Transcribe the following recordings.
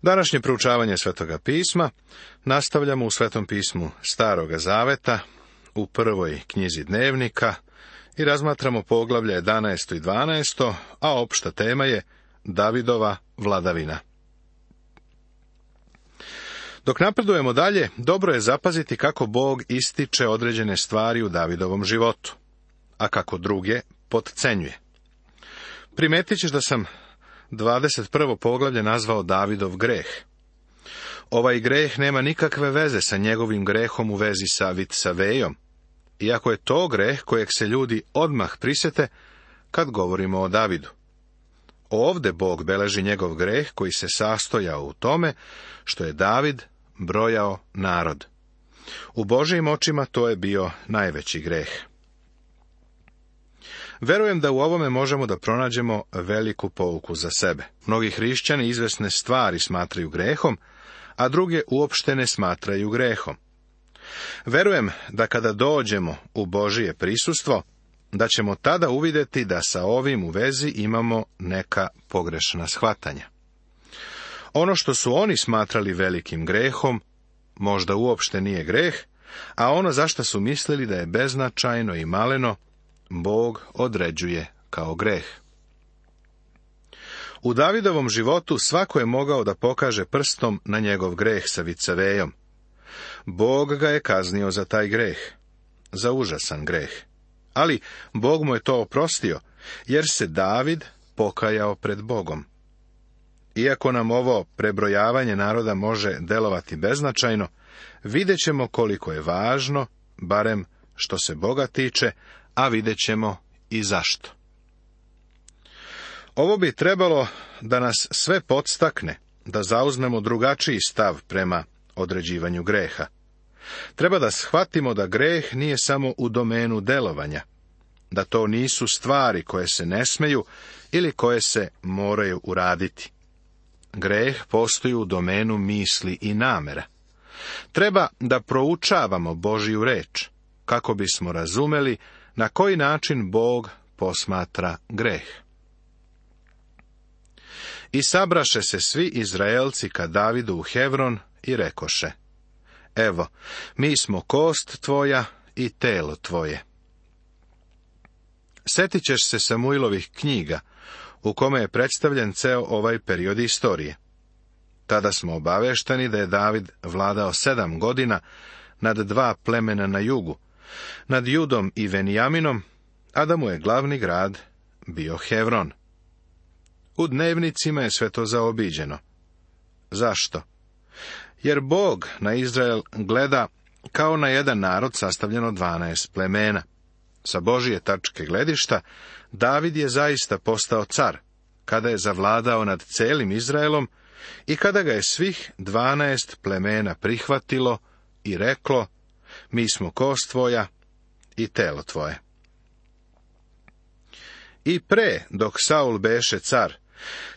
Današnje proučavanje Svetoga pisma nastavljamo u Svetom pismu Staroga zaveta, u prvoj knjizi Dnevnika i razmatramo poglavlje 11. i 12., a opšta tema je Davidova vladavina. Dok napredujemo dalje, dobro je zapaziti kako Bog ističe određene stvari u Davidovom životu, a kako druge potcenjuje. Primetit ćeš da sam 21. poglavlje nazvao Davidov greh. Ovaj greh nema nikakve veze sa njegovim grehom u vezi sa Vitsavejom, iako je to greh kojeg se ljudi odmah prisjete kad govorimo o Davidu. Ovde Bog beleži njegov greh koji se sastojao u tome što je David brojao narod. U Božijim očima to je bio najveći greh. Verujem da u ovome možemo da pronađemo veliku pouku za sebe. Mnogi hrišćani izvesne stvari smatraju grehom, a druge uopšte ne smatraju grehom. Verujem da kada dođemo u Božije prisustvo, da ćemo tada uvidjeti da sa ovim u vezi imamo neka pogrešna shvatanja. Ono što su oni smatrali velikim grehom, možda uopšte nije greh, a ono zašto su mislili da je beznačajno i maleno, Bog određuje kao greh. U Davidovom životu svako je mogao da pokaže prstom na njegov greh sa Vicavejom. Bog ga je kaznio za taj greh, za užasan greh. Ali Bog mu je to oprostio, jer se David pokajao pred Bogom. Iako nam ovo prebrojavanje naroda može delovati beznačajno, vidjet ćemo koliko je važno, barem što se Boga tiče, a vidjet ćemo i zašto. Ovo bi trebalo da nas sve podstakne, da zauzmemo drugačiji stav prema određivanju greha. Treba da shvatimo da greh nije samo u domenu delovanja, da to nisu stvari koje se ne smeju ili koje se moraju uraditi. Greh postoji u domenu misli i namera. Treba da proučavamo Božju reč, kako bismo razumeli na koji način Bog posmatra greh. I sabraše se svi Izraelci ka Davidu u Hevron i rekoše: Evo, mi smo kost tvoja i telo tvoje. Setit ćeš se Samuilovih knjiga, u kome je predstavljen ceo ovaj period istorije. Tada smo obavešteni da je David vladao 7 godina nad 2 plemena na jugu, nad Judom i Venijaminom, a da mu je glavni grad bio Hevron. U dnevnicima je sve to zaobiđeno. Zašto? Jer Bog na Izrael gleda kao na jedan narod sastavljen od 12 plemena. Sa Božije tačke gledišta, David je zaista postao car, kada je zavladao nad celim Izraelom i kada ga je svih 12 plemena prihvatilo i reklo: Mi smo kost tvoja i telo tvoje. I pre, dok Saul beše car,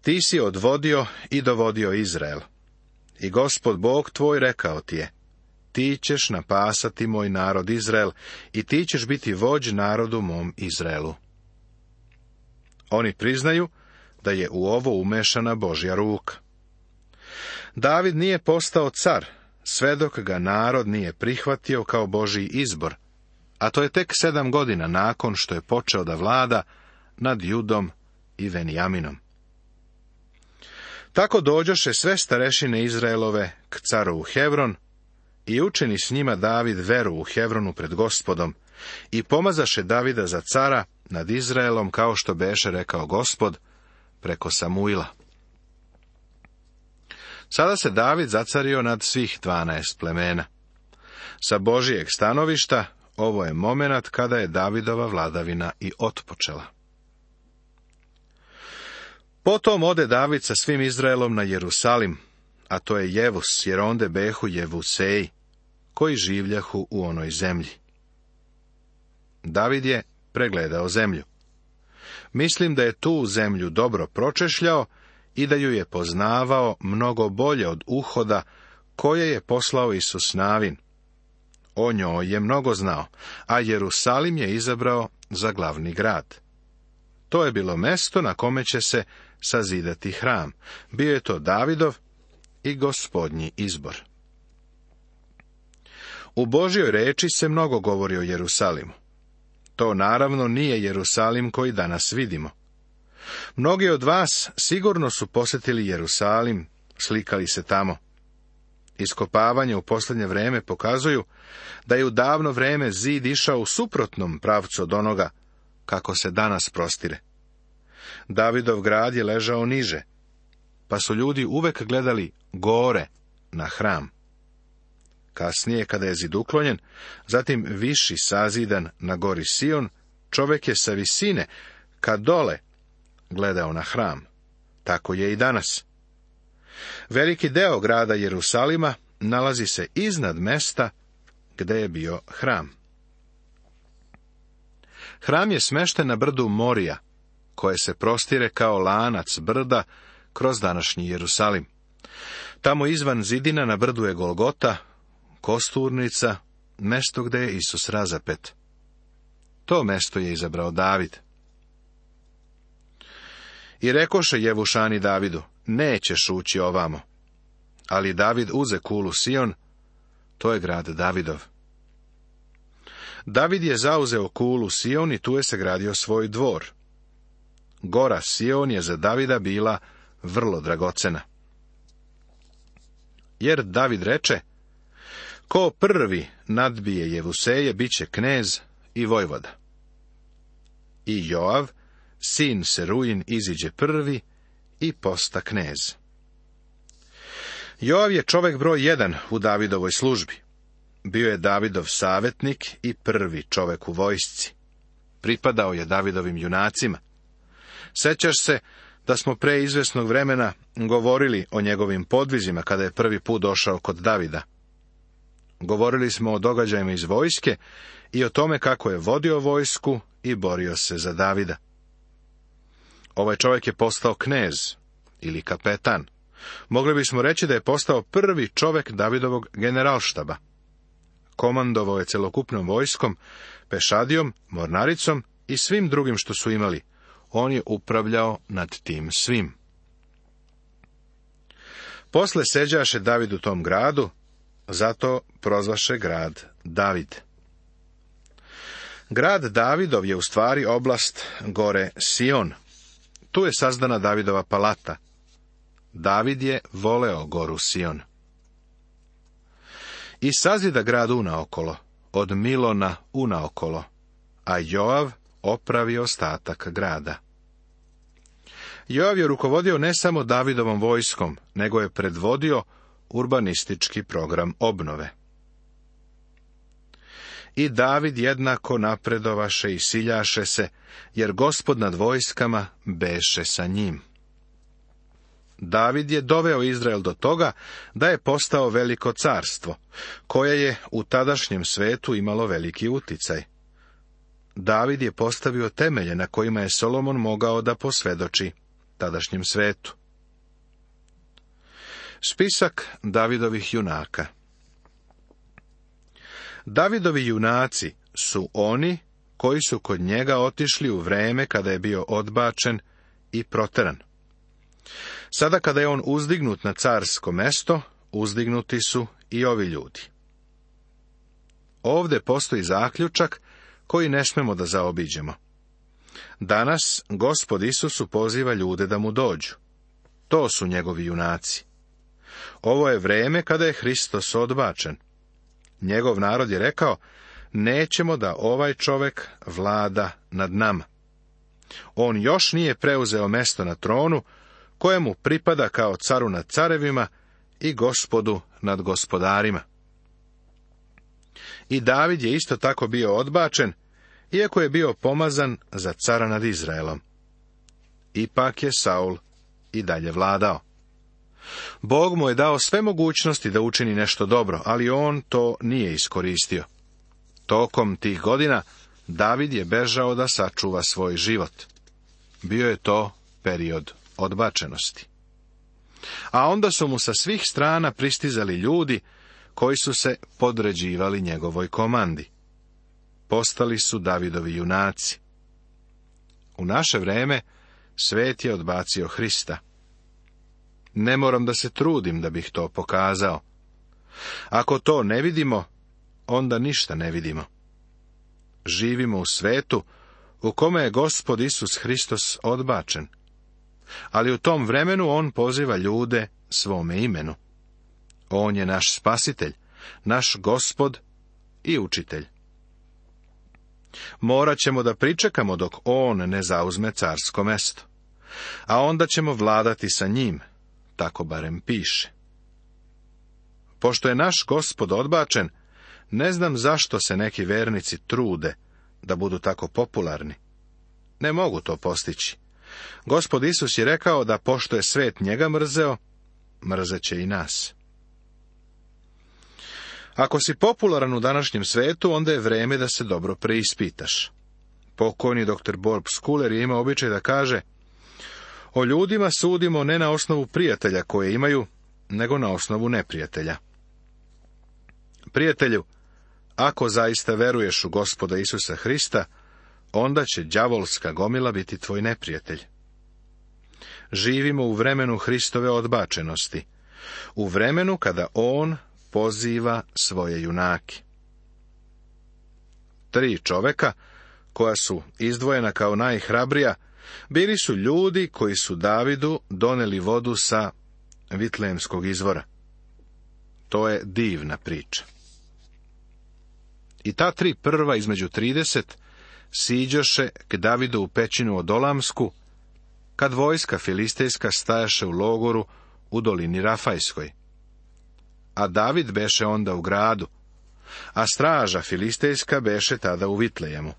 ti si odvodio i dovodio Izrael. I Gospod Bog tvoj rekao ti je: Ti ćeš napasati moj narod Izrael i ti ćeš biti vođ narodu mom Izraelu. Oni priznaju da je u ovo umešana Božja ruka. David nije postao car, sve dok ga narod nije prihvatio kao Božji izbor, a to je tek 7 godina nakon što je počeo da vlada nad Judom i Venijaminom. Tako dođoše sve starešine Izraelove k caru u Hevron i učini s njima David veru u Hevronu pred Gospodom i pomazaše Davida za cara nad Izraelom, kao što beše rekao Gospod preko Samuila. Sada se David zacario nad svih 12 plemena. Sa Božijeg stanovišta ovo je momenat kada je Davidova vladavina i otpočela. Potom ode David sa svim Izraelom na Jerusalim, a to je Jevus, jer onde behu Jevuseji, koji življahu u onoj zemlji. David je pregledao zemlju. Mislim da je tu zemlju dobro pročešljao i da ju je poznavao mnogo bolje od uhoda koje je poslao Isus Navin. O njoj je mnogo znao, a Jerusalim je izabrao za glavni grad. To je bilo mesto na kome će se sazidati hram. Bio je to Davidov i Gospodnji izbor. U Božjoj reči se mnogo govori o Jerusalimu. To naravno nije Jerusalim koji danas vidimo. Mnogi od vas sigurno su posjetili Jerusalim, slikali se tamo. Iskopavanje u posljednje vrijeme pokazuju da je u davno vrijeme zid išao u suprotnom pravcu od onoga kako se danas prostire. Davidov grad je ležao niže, pa su ljudi uvek gledali gore na hram. Kasnije, kada je zid uklonjen, zatim viši sazidan na gori Sion, čovjek je sa visine, ka dole, gledao na hram. Tako je i danas. Veliki deo grada Jerusalima nalazi se iznad mesta gde je bio hram. Hram je smešten na brdu Morija, koje se prostire kao lanac brda kroz današnji Jerusalim. Tamo izvan zidina na brdu je Golgota, kosturnica, mesto gde je Isus razapet. To mesto je izabrao David. I rekoše Jevušani Davidu, nećeš ući ovamo. Ali David uze kulu Sion, to je grad Davidov. David je zauzeo kulu Sion i tu je sagradio svoj dvor. Gora Sion je za Davida bila vrlo dragocena. Jer David reče, ko prvi nadbije Jevuseje, bit će knez i vojvoda. I Joav, sin Seruin, iziđe prvi i posta knez. Joav je čovjek broj 1 u Davidovoj službi. Bio je Davidov savjetnik i prvi čovjek u vojsci. Pripadao je Davidovim junacima. Sećaš se da smo pre izvesnog vremena govorili o njegovim podvizima kada je prvi put došao kod Davida. Govorili smo o događajima iz vojske i o tome kako je vodio vojsku i borio se za Davida. Ovaj čovjek je postao knez ili kapetan. Mogli bismo reći da je postao prvi čovjek Davidovog generalštaba. Komandovao je celokupnom vojskom, pešadijom, mornaricom i svim drugim što su imali. On je upravljao nad tim svim. Posle seđaše David u tom gradu, zato prozvaše grad David. Grad Davidov je u stvari oblast gore Sion. Tu je sazdana Davidova palata. David je voleo goru Sion. I sazida grad unaokolo, od Milona unaokolo, a Joav opravi ostatak grada. Joav je rukovodio ne samo Davidovom vojskom, nego je predvodio urbanistički program obnove. I David jednako napredovaše i siljaše se, jer Gospod nad vojskama beše sa njim. David je doveo Izrael do toga da je postao veliko carstvo, koje je u tadašnjem svetu imalo veliki uticaj. David je postavio temelje na kojima je Solomon mogao da posvedoči tadašnjem svetu. Spisak Davidovih junaka. Davidovi junaci su oni koji su kod njega otišli u vreme kada je bio odbačen i proteran. Sada kada je on uzdignut na carsko mesto, uzdignuti su i ovi ljudi. Ovde postoji zaključak koji ne smemo da zaobiđemo. Danas Gospod Isusu poziva ljude da mu dođu. To su njegovi junaci. Ovo je vreme kada je Hristos odbačen. Njegov narod je rekao, nećemo da ovaj čovek vlada nad nama. On još nije preuzeo mesto na tronu, kojemu pripada kao caru nad carevima i Gospodu nad gospodarima. I David je isto tako bio odbačen, iako je bio pomazan za cara nad Izraelom. Ipak je Saul i dalje vladao. Bog mu je dao sve mogućnosti da učini nešto dobro, ali on to nije iskoristio. Tokom tih godina David je bežao da sačuva svoj život. Bio je to period odbačenosti. A onda su mu sa svih strana pristizali ljudi koji su se podređivali njegovoj komandi. Postali su Davidovi junaci. U naše vreme svet je odbacio Hrista. Ne moram da se trudim da bih to pokazao. Ako to ne vidimo, onda ništa ne vidimo. Živimo u svetu u kome je Gospod Isus Hristos odbačen, ali u tom vremenu on poziva ljude svome imenu. On je naš spasitelj, naš Gospod i učitelj. Morat ćemo da pričekamo dok on ne zauzme carsko mesto, a onda ćemo vladati sa njim, tako barem piše. Pošto je naš Gospod odbačen, ne znam zašto se neki vernici trude da budu tako popularni. Ne mogu to postići. Gospod Isus je rekao da pošto je svet njega mrzeo, mrzeće i nas. Ako si popularan u današnjem svetu, onda je vreme da se dobro preispitaš. Pokojni dr. Bob Schuller je imao običaj da kaže: o ljudima sudimo ne na osnovu prijatelja koje imaju, nego na osnovu neprijatelja. Prijatelju, ako zaista veruješ u Gospoda Isusa Hrista, onda će đavolska gomila biti tvoj neprijatelj. Živimo u vremenu Hristove odbačenosti, u vremenu kada on poziva svoje junake. 3 čoveka, koja su izdvojena kao najhrabrija, bili su ljudi koji su Davidu doneli vodu sa Vitlejemskog izvora. To je divna priča. I ta 3 prva između 30 siđoše k Davidu u pećinu Odolamsku, kad vojska filistejska stajaše u logoru u dolini Rafajskoj. A David beše onda u gradu, a straža filistejska beše tada u Vitlejemu.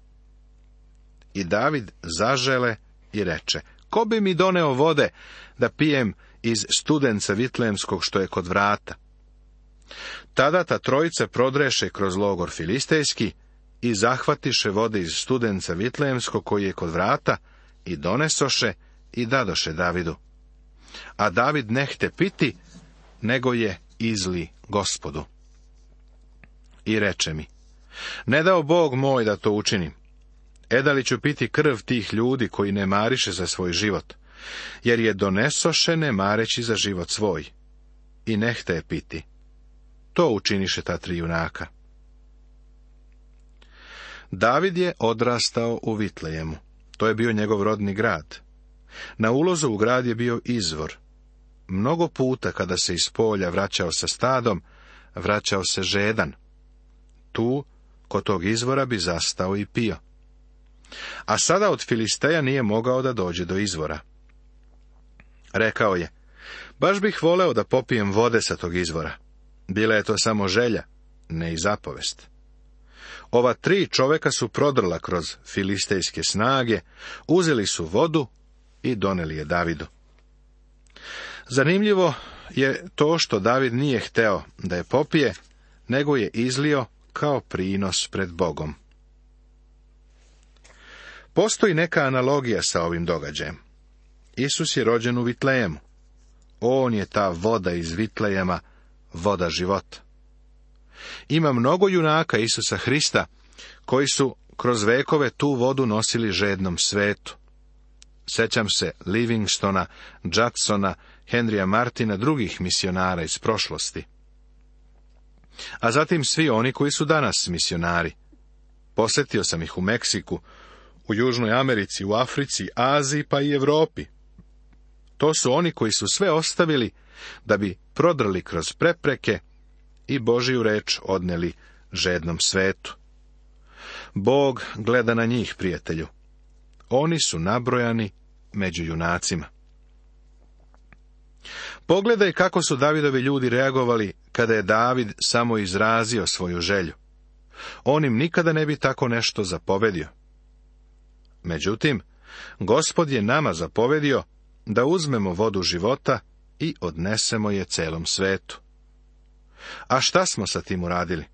I David zažele i reče: ko bi mi doneo vode da pijem iz studenca Vitlejemskog što je kod vrata? Tada ta trojica prodreše kroz logor filistejski i zahvatiše vode iz studenca Vitlejemskog koji je kod vrata i donesoše i dadoše Davidu. A David nehte piti, nego je izli Gospodu. I reče mi: ne dao Bog moj da to učinim. Da li ću piti krv tih ljudi koji ne mariše za svoj život, jer je donesoše ne mareći za život svoj. I nehte je piti. To učiniše ta 3 junaka. David je odrastao u Vitlejemu. To je bio njegov rodni grad. Na ulazu u grad je bio izvor. Mnogo puta kada se iz polja vraćao sa stadom, vraćao se žedan. Tu, kod tog izvora, bi zastao i pio. A sada od Filisteja nije mogao da dođe do izvora. Rekao je: baš bih voleo da popijem vode sa tog izvora. Bila je to samo želja, ne i zapovest. Ova 3 čoveka su prodrla kroz filistejske snage, uzeli su vodu i doneli je Davidu. Zanimljivo je to što David nije hteo da je popije, nego je izlio kao prinos pred Bogom. Postoji neka analogija sa ovim događajem. Isus je rođen u Vitlejemu. On je ta voda iz Vitlejema, voda života. Ima mnogo junaka Isusa Hrista koji su kroz vekove tu vodu nosili žednom svetu. Sećam se Livingstona, Jacksona, Henrya Martina, drugih misionara iz prošlosti. A zatim svi oni koji su danas misionari. Posjetio sam ih u Meksiku, u Južnoj Americi, u Africi, Aziji pa i Europi. To su oni koji su sve ostavili da bi prodrli kroz prepreke i Božiju reč odneli žednom svetu. Bog gleda na njih, prijatelju. Oni su nabrojani među junacima. Pogledaj kako su Davidovi ljudi reagovali kada je David samo izrazio svoju želju. On im nikada ne bi tako nešto zapovedio. Međutim, Gospod je nama zapovedio da uzmemo vodu života i odnesemo je celom svetu. A šta smo sa tim uradili?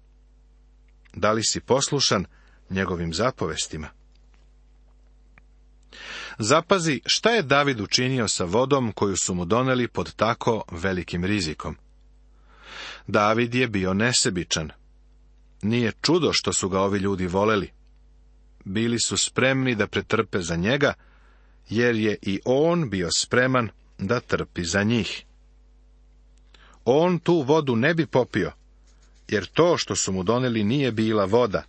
Da li si poslušan njegovim zapovestima? Zapazi šta je David učinio sa vodom koju su mu doneli pod tako velikim rizikom. David je bio nesebičan. Nije čudo što su ga ovi ljudi voleli. Bili su spremni da pretrpe za njega, jer je i on bio spreman da trpi za njih. on tu vodu ne bi popio, jer to što su mu doneli nije bila voda,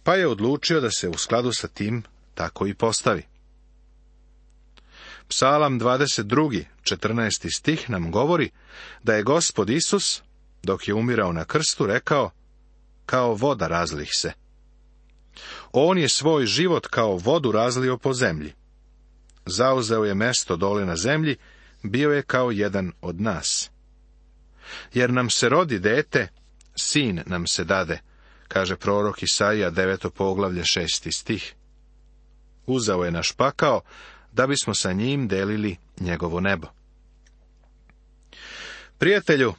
pa je odlučio da se u skladu sa tim tako i postavi. Psalam 22. 14. stih nam govori da je Gospod Isus, dok je umirao na krstu, rekao, kao voda razlih se. On je svoj život kao vodu razlio po zemlji. Zauzeo je mesto dole na zemlji, bio je kao jedan od nas. Jer nam se rodi dete, sin nam se dade, kaže prorok Isaija 9. poglavlje 6. stih. Uzeo je naš pakao, da bismo sa njim delili njegovo nebo. Prijatelju,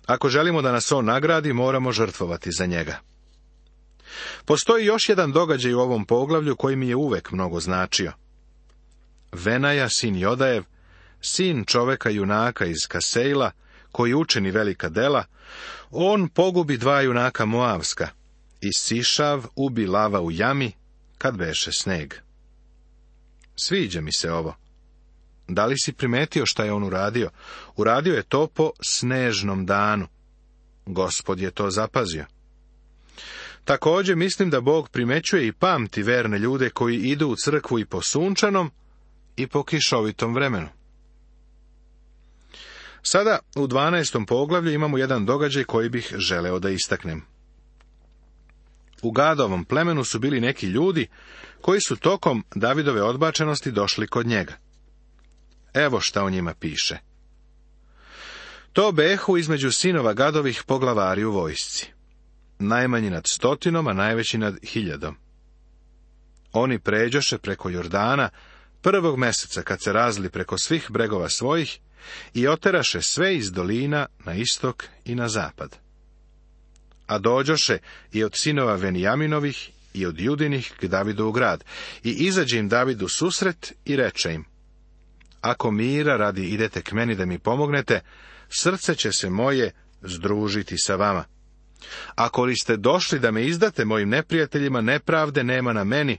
ako želimo da nas on nagradi, moramo žrtvovati za njega. Postoji još jedan događaj u ovom poglavlju koji mi je uvek mnogo značio. Venaja, sin Jodajev, sin čoveka junaka iz Kasejla, koji učini velika dela, on pogubi 2 junaka Moavska, i Sišav ubi lava u jami, kad beše sneg. Sviđa mi se ovo. Da li si primetio šta je on uradio? Uradio je to po snežnom danu. Gospod je to zapazio. Također mislim da Bog primećuje i pamti verne ljude koji idu u crkvu i po sunčanom i po kišovitom vremenu. Sada u 12. poglavlju imamo jedan događaj koji bih želeo da istaknem. U Gadovom plemenu su bili neki ljudi koji su tokom Davidove odbačenosti došli kod njega. Evo šta o njima piše. To behu između sinova Gadovih poglavari u vojsci. Najmanji nad 100, a najveći nad 1000. Oni pređoše preko Jordana 1. meseca kad se razli preko svih bregova svojih i oteraše sve iz dolina na istok i na zapad. A dođoše i od sinova Venijaminovih i od Judinih k Davidu u grad, i izađe im David u susret i reče im, ako mira radi idete k meni da mi pomognete, srce će se moje združiti sa vama. Ako li ste došli da me izdate mojim neprijateljima, nepravde nema na meni,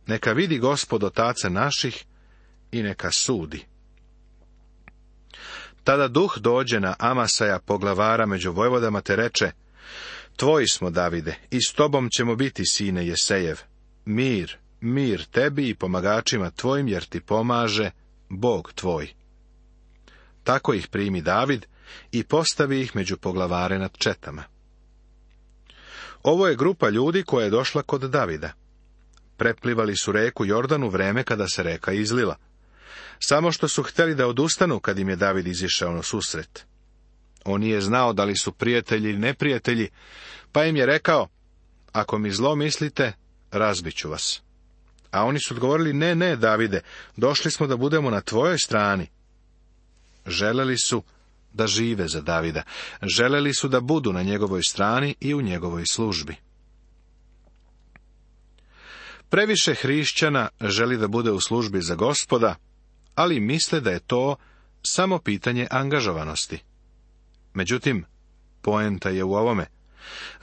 neka vidi Gospod otaca naših i neka sudi. Tada duh dođe na Amasaja, poglavara među vojvodama, te reče, tvoji smo, Davide, i s tobom ćemo biti, sine Jesejev. Mir, mir tebi i pomagačima tvojim, jer ti pomaže Bog tvoj. Tako ih primi David i postavi ih među poglavare nad četama. Ovo je grupa ljudi koja je došla kod Davida. Preplivali su reku Jordan u vreme kada se reka izlila. Samo što su htjeli da odustanu kad im je David izišao na susret. On nije znao da li su prijatelji ili neprijatelji, pa im je rekao, ako mi zlo mislite, razbit ću vas. A oni su odgovorili, ne, Davide, došli smo da budemo na tvojoj strani. Želeli su da žive za Davida, želeli su da budu na njegovoj strani i u njegovoj službi. Previše hrišćana želi da bude u službi za Gospoda, ali misle da je to samo pitanje angažovanosti. Međutim, poenta je u ovome.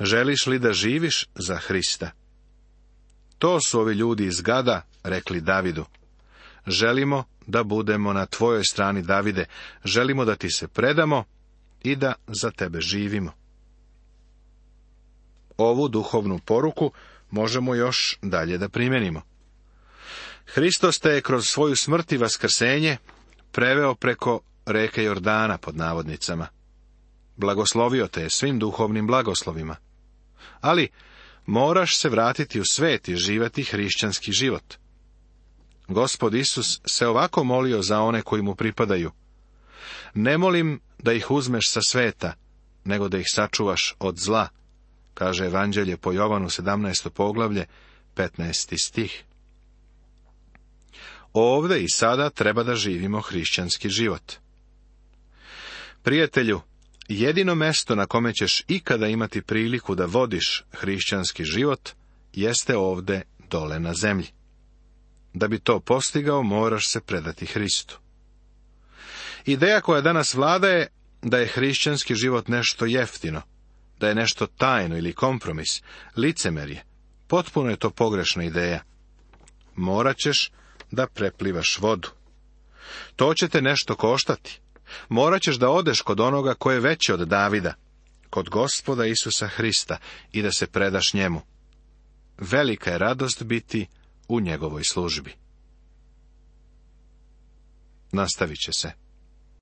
Želiš li da živiš za Hrista? To su ovi ljudi iz Gada rekli Davidu. Želimo da budemo na tvojoj strani, Davide, želimo da ti se predamo i da za tebe živimo. Ovu duhovnu poruku možemo još dalje da primenimo. Hristos te je kroz svoju smrt i vaskrsenje preveo preko reke Jordana, pod navodnicama. Blagoslovio te je svim duhovnim blagoslovima. Ali moraš se vratiti u svet i živjeti hrišćanski život. Gospod Isus se ovako molio za one koji mu pripadaju. Ne molim da ih uzmeš sa sveta, nego da ih sačuvaš od zla, kaže Evanđelje po Jovanu 17. poglavlje, 15. stih. Ovde i sada treba da živimo hrišćanski život. Prijatelju, jedino mesto na kome ćeš ikada imati priliku da vodiš hrišćanski život, jeste ovde dole na zemlji. Da bi to postigao, moraš se predati Hristu. Ideja koja danas vlada je da je hrišćanski život nešto jeftino, da je nešto tajno ili kompromis, licemerje. Potpuno je to pogrešna ideja. Morat ćeš da preplivaš vodu. To će te nešto koštati. Morat ćeš da odeš kod onoga ko je veći od Davida, kod Gospoda Isusa Hrista, i da se predaš njemu. Velika je radost biti u njegovoj službi. Nastavit će se.